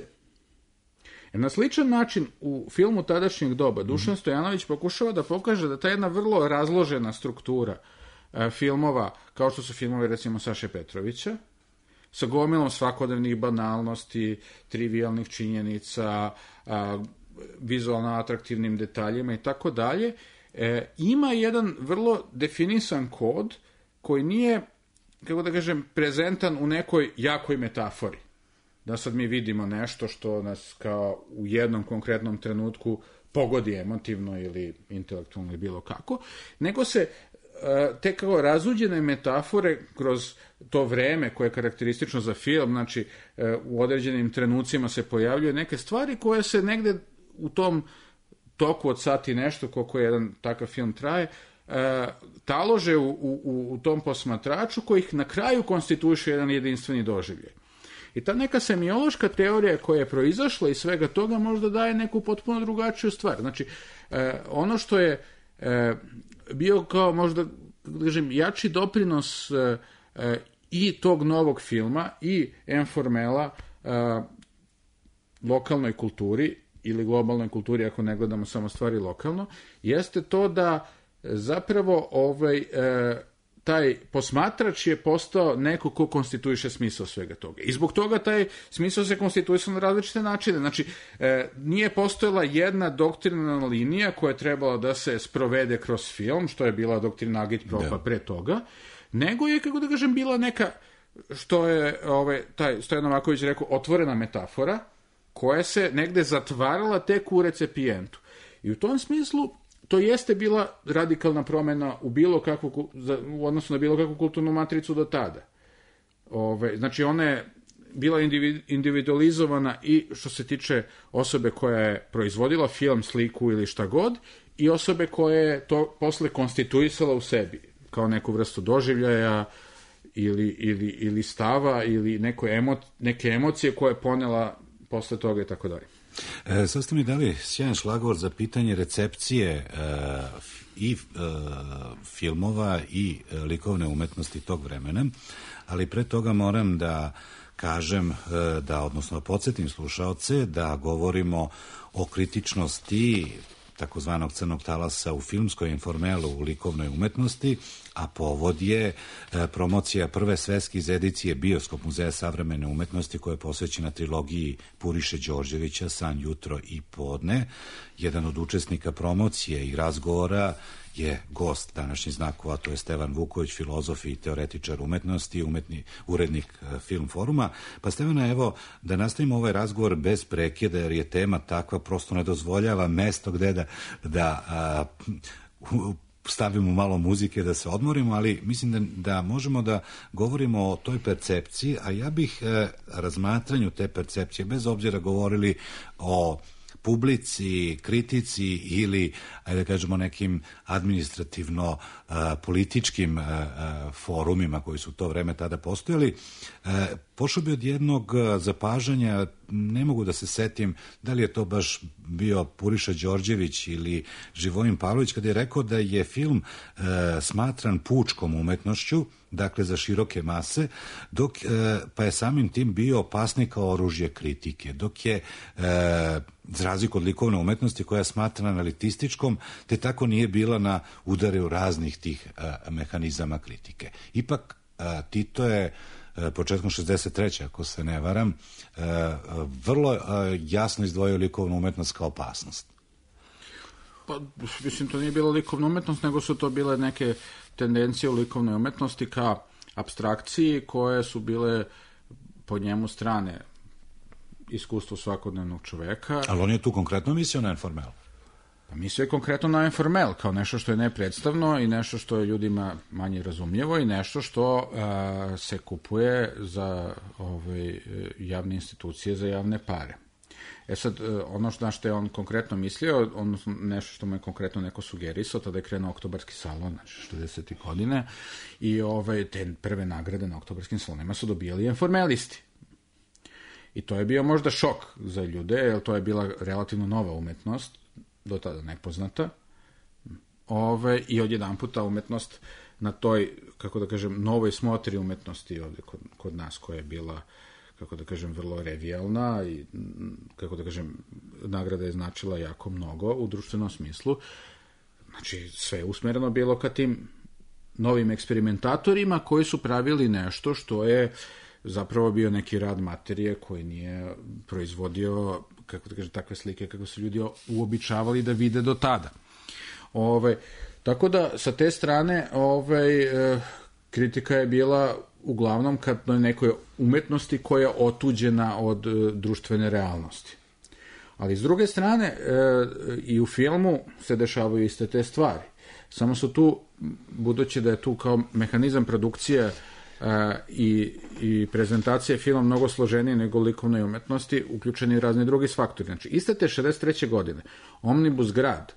Jer na sličan način u filmu tadašnjeg doba Dušan Stojanović pokušava da pokaže da ta jedna vrlo razložena struktura e, filmova, kao što su filmovi recimo Saše Petrovića, sa gomilom svakodnevnih banalnosti, trivialnih činjenica, a, vizualno atraktivnim detaljima i tako dalje, ima jedan vrlo definisan kod koji nije, kako da kažem, prezentan u nekoj jakoj metafori. Da sad mi vidimo nešto što nas kao u jednom konkretnom trenutku pogodi emotivno ili intelektualno ili bilo kako, nego se te kao razuđene metafore kroz to vreme koje je karakteristično za film, znači u određenim trenucima se pojavljuju neke stvari koje se negde u tom toku od sati nešto, koliko jedan takav film traje, talože u, u, u tom posmatraču koji ih na kraju konstituiše jedan jedinstveni doživljaj. I ta neka semiološka teorija koja je proizašla iz svega toga možda daje neku potpuno drugačiju stvar. Znači, ono što je bio kao možda, da kažem, jači doprinos e, e, i tog novog filma i Informela e, lokalnoj kulturi ili globalnoj kulturi, ako ne gledamo samo stvari lokalno, jeste to da zapravo ovaj, e, taj posmatrač je postao neko ko konstituiše smisao svega toga. I zbog toga taj smisao se konstituisao na različite načine. Znači, e, nije postojala jedna doktrinalna linija koja je trebala da se sprovede kroz film, što je bila doktrina Agitpropa pre toga, nego je, kako da kažem, bila neka, što je ovaj, taj Stojan Novaković rekao, otvorena metafora, koja se negde zatvarala tek u recipijentu. I u tom smislu to jeste bila radikalna promena u bilo kakvu, u odnosu na bilo kakvu kulturnu matricu do tada. Ove, znači, ona je bila individualizovana i što se tiče osobe koja je proizvodila film, sliku ili šta god, i osobe koja je to posle konstituisala u sebi, kao neku vrstu doživljaja ili, ili, ili stava ili neko emo, neke emocije koje je ponela posle toga i tako dalje. E, sad ste mi dali sjajan šlagvor za pitanje recepcije e, i e, filmova i e, likovne umetnosti tog vremena, ali pre toga moram da kažem, e, da odnosno podsjetim slušaoce da govorimo o kritičnosti takozvanog crnog talasa u filmskoj Informelu u likovnoj umetnosti, a povod je e, promocija prve svetske edicije Bioskop muzeja savremene umetnosti koja je posvećena trilogiji Puriše Đorđevića San, jutro i podne. Jedan od učesnika promocije i razgovora je gost današnjih znakova, to je Stevan Vuković, filozof i teoretičar umetnosti, umetni, urednik Film foruma. Pa Stevana, evo, da nastavimo ovaj razgovor bez prekida, jer je tema takva, prosto ne dozvoljava mesto gde da, da a, stavimo malo muzike, da se odmorimo, ali mislim da, da možemo da govorimo o toj percepciji, a ja bih e, razmatranju te percepcije, bez obzira govorili o publici, kritici ili, ajde da kažemo, nekim administrativno a, političkim a, a, forumima koji su u to vreme tada postojali, a, pošao bi od jednog zapažanja, ne mogu da se setim da li je to baš bio Puriša Đorđević ili Živojin Pavlović, kada je rekao da je film a, smatran pučkom umetnošću, dakle za široke mase, dok, e, pa je samim tim bio opasni kao oružje kritike, dok je, e, za razliku od likovne umetnosti koja je smatrana analitističkom, te tako nije bila na udaru raznih tih e, mehanizama kritike. Ipak, e, Tito je e, početkom šezdeset treće ako se ne varam, e, vrlo e, jasno izdvojio likovnu umetnost kao opasnost. Pa, mislim, to nije bila likovna umetnost, nego su to bile neke tendencije u likovnoj umetnosti ka apstrakciji koje su bile po njemu strane iskustvo svakodnevnog čoveka. Ali on je tu konkretno mislio na Informel. Mislio je konkretno na informel, kao nešto što je nepredstavno i nešto što je ljudima manje razumljivo i nešto što a, se kupuje za ovaj, javne institucije, za javne pare. E sad, ono što, na što je on konkretno mislio, odnosno nešto što mu je konkretno neko sugerisao, tada je krenuo Oktobarski salon, znači šezdesetih godine, i ovaj, te prve nagrade na Oktobarskim salonima su dobijali informelisti. I to je bio možda šok za ljude, jer to je bila relativno nova umetnost, do tada nepoznata, ove, i odjedan puta umetnost na toj, kako da kažem, novoj smotri umetnosti ovde kod, kod nas, koja je bila, kako da kažem, vrlo revijalna i, kako da kažem, nagrada je značila jako mnogo u društvenom smislu. Znači, sve je usmereno bilo ka tim novim eksperimentatorima koji su pravili nešto što je zapravo bio neki rad materije koji nije proizvodio, kako da kažem, takve slike kako su ljudi uobičavali da vide do tada. Ove, tako da, sa te strane, ove, e, kritika je bila uglavnom kad na nekoj umetnosti koja je otuđena od e, društvene realnosti. Ali s druge strane, e, i u filmu se dešavaju iste te stvari. Samo su tu, budući da je tu kao mehanizam produkcije Uh, i, i prezentacije filma mnogo složenije nego likovnoj umetnosti, uključeni razni drugi faktori. Znači, iste te šezdeset treće godine Omnibus grad,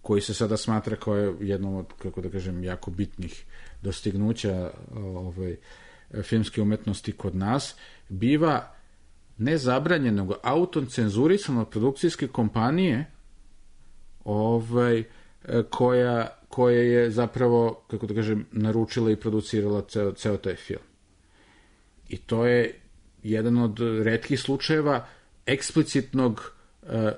koji se sada smatra kao je jednom od, kako da kažem, jako bitnih dostignuća ovaj, filmske umetnosti kod nas, biva ne zabranjen, nego autocenzurisan od produkcijske kompanije ovaj, koja koja je zapravo, kako da kažem, naručila i producirala ceo, ceo taj film. I to je jedan od retkih slučajeva eksplicitnog e, e,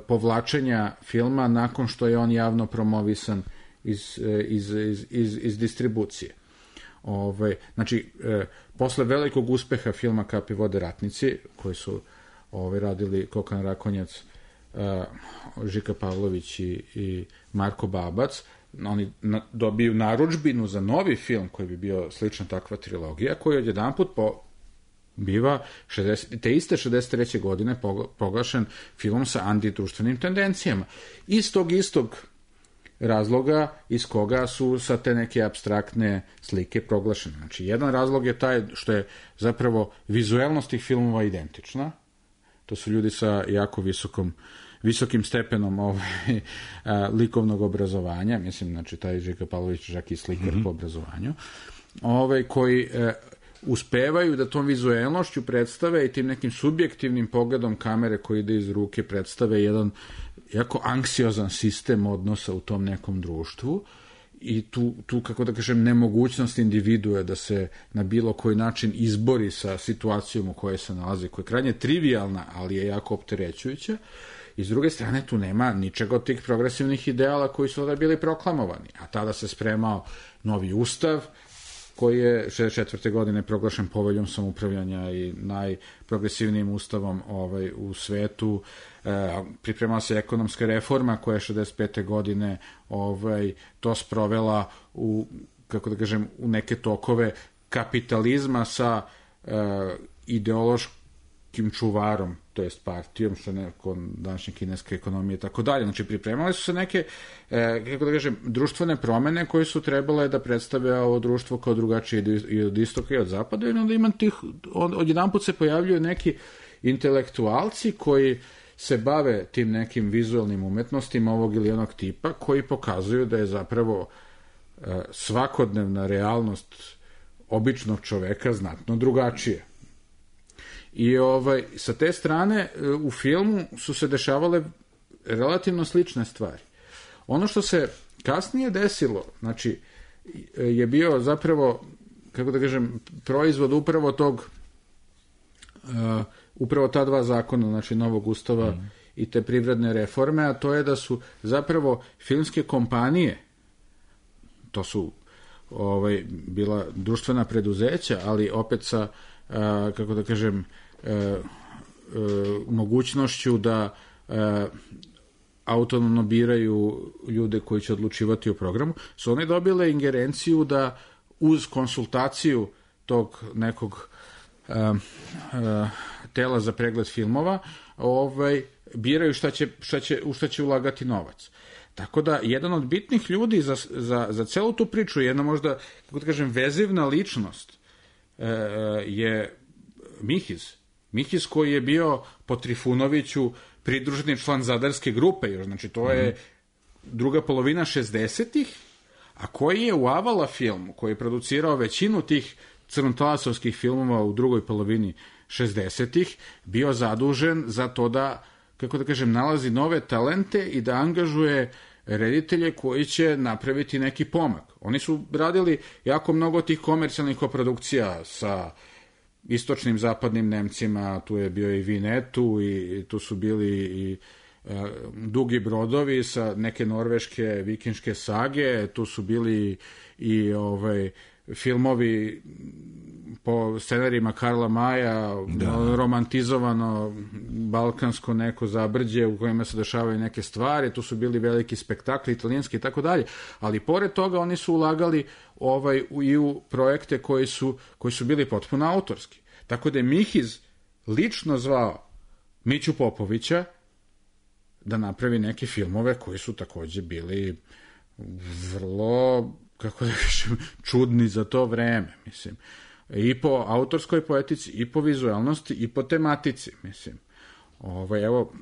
povlačenja filma nakon što je on javno promovisan iz, iz, iz, iz, iz distribucije. Ove, znači, e, posle velikog uspeha filma Kapi vode ratnici, koji su ove, radili Kokan Rakonjac, Uh, Žika Pavlović i, i Marko Babac, oni na, dobiju narudžbinu za novi film koji bi bio slična takva trilogija, koji odjedanput po, biva šezdeset, te iste šezdeset treće godine proglašen film sa antidruštvenim tendencijama. Iz tog istog razloga iz koga su sa te neke apstraktne slike proglašene. Znači, jedan razlog je taj što je zapravo vizuelnost tih filmova identična. To su ljudi sa jako visokom, visokim stepenom ovaj, a, likovnog obrazovanja, mislim, znači, taj Žika Pavlović čak i slikar mm-hmm. po obrazovanju, ovaj, koji e, uspevaju da tom vizuelnošću predstave i tim nekim subjektivnim pogledom kamere koji ide iz ruke predstave jedan jako anksiozan sistem odnosa u tom nekom društvu i tu, tu kako da kažem, nemogućnost individue da se na bilo koji način izbori sa situacijom u kojoj se nalazi, koja je krajnje trivialna, ali je jako opterećujuća. I s druge strane, tu nema ničega od tih progresivnih ideala koji su tada bili proklamovani. A tada se spremao novi ustav, koji je šezdeset četvrte godine proglašen poveljom samoupravljanja i najprogresivnijim ustavom ovaj, u svetu. E, pripremala se ekonomska reforma koja je šezdeset pete godine ovaj, to sprovela u, kako da kažem, u neke tokove kapitalizma sa e, ideološkim čuvarom, to jest partijom, što je kod današnje kineske ekonomije i tako dalje. Znači, pripremale su se neke, e, kako da kažem, društvene promene koje su trebale da predstave ovo društvo kao drugačije i od istoka i od zapada, i onda ima tih, od, odjedanput se pojavljuju neki intelektualci koji se bave tim nekim vizualnim umetnostima ovog ili onog tipa, koji pokazuju da je zapravo e, svakodnevna realnost običnog čoveka znatno drugačije. I ovaj, sa te strane u filmu su se dešavale relativno slične stvari. Ono što se kasnije desilo, znači, je bio zapravo, kako da kažem, proizvod upravo tog, uh, upravo ta dva zakona, znači novog ustava mm. i te privredne reforme, a to je da su zapravo filmske kompanije, to su ovaj, bila društvena preduzeća, ali opet sa Uh, kako da kažem, uh, uh, mogućnošću da uh, autonomno biraju ljude koji će odlučivati o programu, su one dobile ingerenciju da uz konsultaciju tog nekog uh, uh, tela za pregled filmova ovaj, biraju šta će, šta će, u šta će ulagati novac. Tako da, jedan od bitnih ljudi za, za, za celu tu priču, jedna možda, kako da kažem, vezivna ličnost e, je Mihiz. Mihiz koji je bio po Trifunoviću pridruženi član Zadarske grupe, još, znači to je druga polovina šezdesetih, a koji je u Avala filmu, koji je producirao većinu tih crnotalasovskih filmova u drugoj polovini šezdesetih, bio zadužen za to da, kako da kažem, nalazi nove talente i da angažuje reditelje koji će napraviti neki pomak. Oni su radili jako mnogo tih komercijalnih koprodukcija sa istočnim, zapadnim Nemcima, tu je bio i Vinetu i tu su bili i uh, Dugi brodovi sa neke norveške vikinške sage, tu su bili i ovaj, filmovi po scenarijima Karla Maja, da. romantizovano balkansko neko zabrđe u kojima se dešavaju neke stvari, tu su bili veliki spektakli, italijanski i tako dalje, ali pored toga oni su ulagali ovaj, i u projekte koji su, koji su bili potpuno autorski. Tako da je Mihiz lično zvao Miću Popovića da napravi neke filmove koji su takođe bili vrlo, kako da kažem, čudni za to vreme, mislim. I po autorskoj poetici, i po vizualnosti, i po tematici, mislim. Ovo, evo,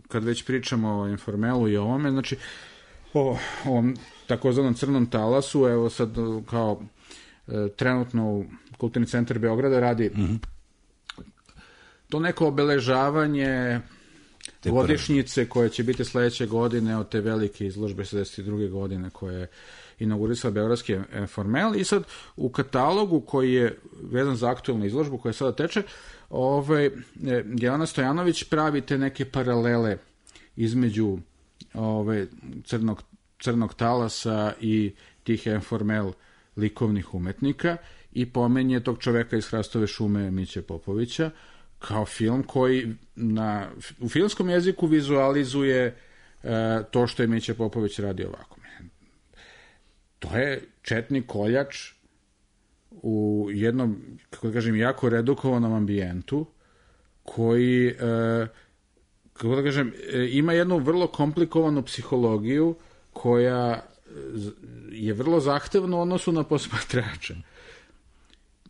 kad već pričamo o Informelu i ovome, znači, o ovom takozvanom crnom talasu, evo sad kao e, trenutno u Kulturni centar Beograda radi mm-hmm. to neko obeležavanje te godišnjice koje će biti sledeće godine od te velike izložbe šezdeset druge godine koje je inaugurisao Beogradski Informel i sad u katalogu koji je vezan za aktualnu izložbu koja sada teče, ovaj, Jelena Stojanović pravi te neke paralele između ovaj, crnog, crnog talasa i tih Informel likovnih umetnika i pomenje tog čoveka iz Hrastove šume Miće Popovića kao film koji na, u filmskom jeziku vizualizuje e, to što je Miće Popović radio ovako. To je četnik koljač u jednom, kako da kažem, jako redukovanom ambijentu koji, e, kako da kažem, e, ima jednu vrlo komplikovanu psihologiju koja je vrlo zahtevna u odnosu na posmatrača.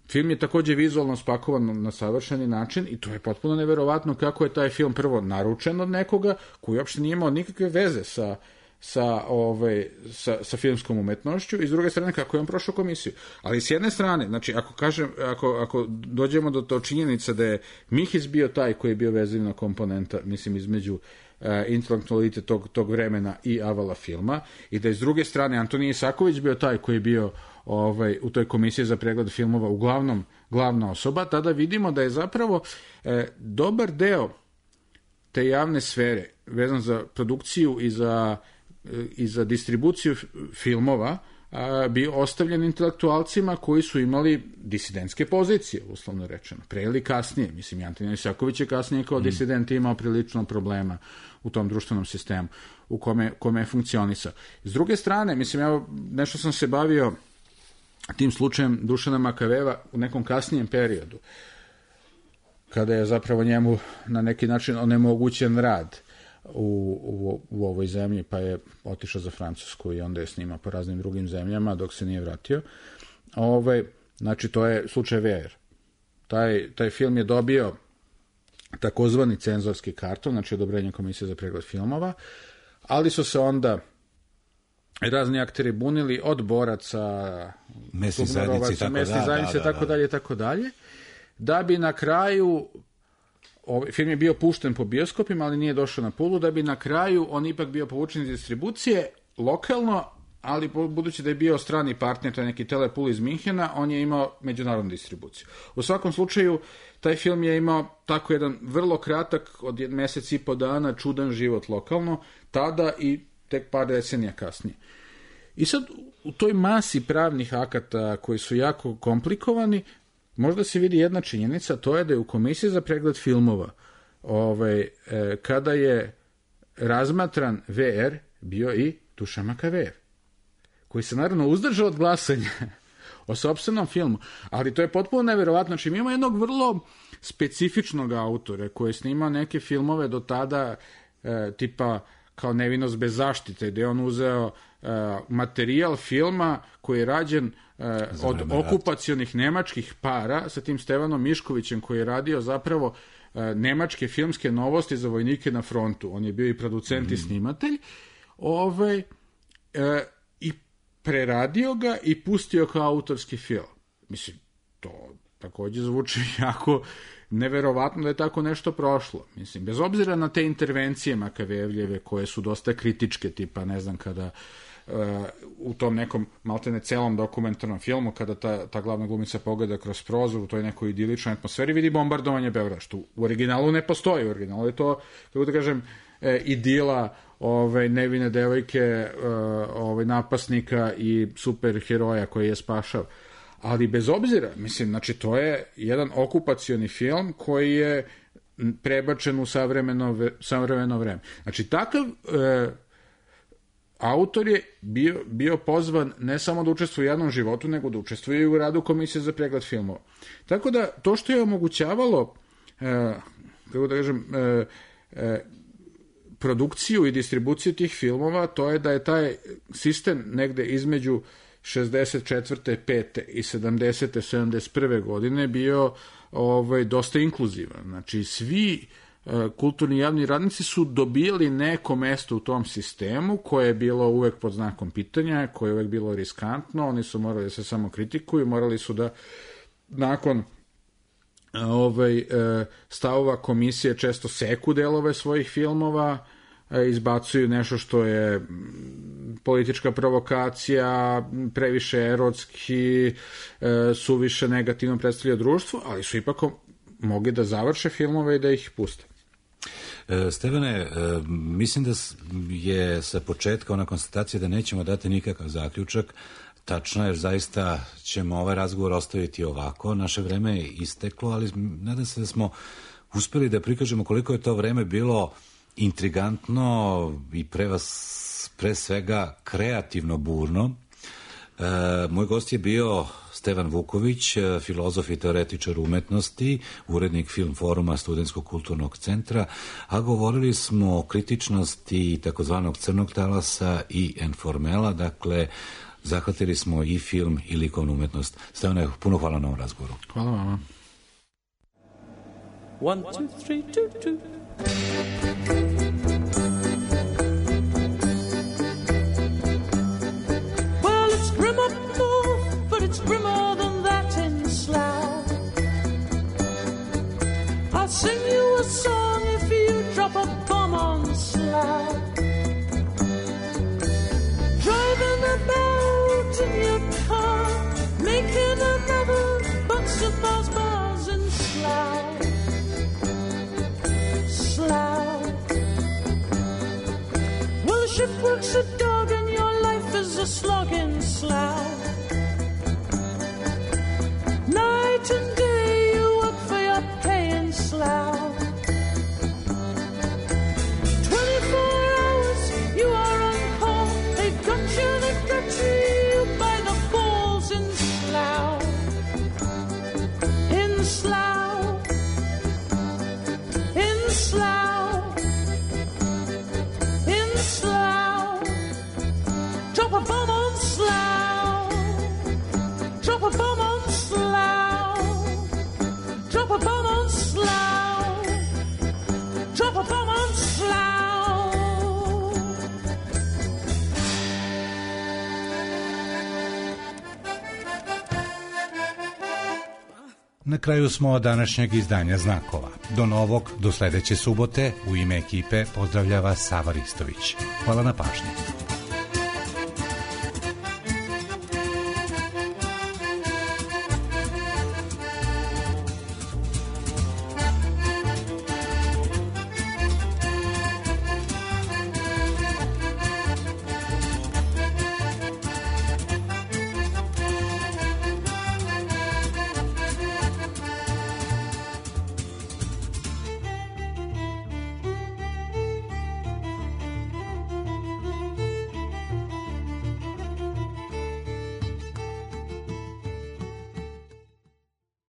Film je takođe vizualno spakovan na savršeni način i to je potpuno neverovatno kako je taj film prvo naručen od nekoga koji uopšte nije imao nikakve veze sa Sa, ovaj, sa, sa filmskom umetnošću i s druge strane kako je on prošao komisiju. Ali s jedne strane, znači ako kažem, ako, ako dođemo do to činjenica da je Mihiz bio taj koji je bio vezivna komponenta, mislim, između uh, intelektualite tog, tog vremena i Avala filma i da je s druge strane Antonij Isaković bio taj koji je bio ovaj, u toj komisiji za pregled filmova uglavnom glavna osoba, tada vidimo da je zapravo eh, dobar deo te javne sfere vezan za produkciju i za i za distribuciju filmova a, bi ostavljen intelektualcima koji su imali disidentske pozicije, uslovno rečeno, pre ili kasnije. Mislim, Antonij Isaković je kasnije kao mm. disident imao prilično problema u tom društvenom sistemu u kome, kome je funkcionisao. S druge strane, mislim, ja nešto sam se bavio tim slučajem Dušana Makaveva u nekom kasnijem periodu, kada je zapravo njemu na neki način onemogućen rad U, u, u ovoj zemlji, pa je otišao za Francusku i onda je snimao po raznim drugim zemljama dok se nije vratio. Ove, znači, to je slučaj V R. Taj, taj film je dobio takozvani cenzorski karton, znači odobrenje Komisije za pregled filmova, ali su se onda razni akteri bunili od boraca, mesni zajednice, mesni zajednice, tako dalje, tako dalje, da bi na kraju ovaj film je bio pušten po bioskopima, ali nije došao na Pulu, da bi na kraju on ipak bio povučen iz distribucije lokalno, ali budući da je bio strani partner, to je neki Telepul iz Minhena, on je imao međunarodnu distribuciju. U svakom slučaju, taj film je imao tako jedan vrlo kratak, od mesec i po dana, čudan život lokalno, tada i tek par decenija kasnije. I sad, u toj masi pravnih akata koji su jako komplikovani, možda se vidi jedna činjenica, to je da je u Komisiji za pregled filmova ovaj, e, kada je razmatran V R bio i Dušan Makavejev, koji se naravno uzdržao od glasanja o sopstvenom filmu, ali to je potpuno neverovatno. Znači, mi imamo jednog vrlo specifičnog autora koji je snimao neke filmove do tada e, tipa kao Nevinost bez zaštite, gde je on uzeo e, materijal filma koji je rađen e, od okupacionih nemačkih para sa tim Stevanom Miškovićem koji je radio zapravo e, nemačke filmske novosti za vojnike na frontu. On je bio i producent mm. i snimatelj. Ovaj, e, i preradio ga i pustio kao autorski film. Mislim, to takođe zvuči jako neverovatno da je tako nešto prošlo. Mislim, bez obzira na te intervencije Makavejevljeve koje su dosta kritičke, tipa, ne znam, kada uh, u tom nekom maltene celom dokumentarnom filmu, kada ta, ta glavna glumica pogleda kroz prozor u toj nekoj idiličnoj atmosferi, vidi bombardovanje Beograda, što u originalu ne postoji. U originalu je to, kako da kažem, e, idila ove, nevine devojke, ove, napasnika i superheroja koji je spašao. Ali bez obzira, mislim, znači to je jedan okupacioni film koji je prebačen u savremeno, savremeno vreme. Znači takav e, autor je bio, bio pozvan ne samo da učestvuje u javnom životu, nego da učestvuje i u radu Komisije za pregled filmova. Tako da to što je omogućavalo e, kako da kažem e, e, produkciju i distribuciju tih filmova, to je da je taj sistem negde između šezdeset četvrte, pete i sedamdesete, sedamdeset prve godine bio ovaj, dosta inkluzivan. Znači, svi uh, kulturni javni radnici su dobili neko mesto u tom sistemu koje je bilo uvek pod znakom pitanja, koje je uvek bilo riskantno, oni su morali da se samo kritikuju, morali su da nakon ovaj, uh, stavova komisije često seku delove svojih filmova, izbacuju nešto što je politička provokacija, previše erotski, suviše negativno predstavlja društvo, ali su ipak mogli da završe filmove i da ih puste. Stevane, mislim da je sa početka ona konstatacija da nećemo dati nikakav zaključak tačno, jer zaista ćemo ovaj razgovor ostaviti ovako. Naše vreme je isteklo, ali nadam se da smo uspeli da prikažemo koliko je to vreme bilo intrigantno i pre, vas, pre svega kreativno burno. E, moj gost je bio Stevan Vuković, filozof i teoretičar umetnosti, urednik Film foruma Studentskog kulturnog centra, a govorili smo o kritičnosti takozvanog crnog talasa i informela, dakle zahvatili smo i film i likovnu umetnost. Stevane, puno hvala na ovom razgovoru. Hvala vama. One, two, three, two, two. Well, it's grim up north, but it's grimmer than that in Slough. I'll sing you a song if you drop a bomb on Slough. Driving about in your car, making another box of bars, bars in Slough. Well, a shipwreck's a dog and your life is a slog in Slough. Night and day you work for your pay in Slough. Twenty-four hours you are on call. They got you, they got you by the balls in Slough. In Slough. In Slough. In Slough. Drop a bomb on Slough. Drop a bomb on Slough. Drop a bomb on Slough. Drop a bomb on Slough. Na kraju smo današnjeg izdanja Znakova. Do novog, do sledeće subote, u ime ekipe pozdravlja vas Sava Ristović. Hvala na pažnji.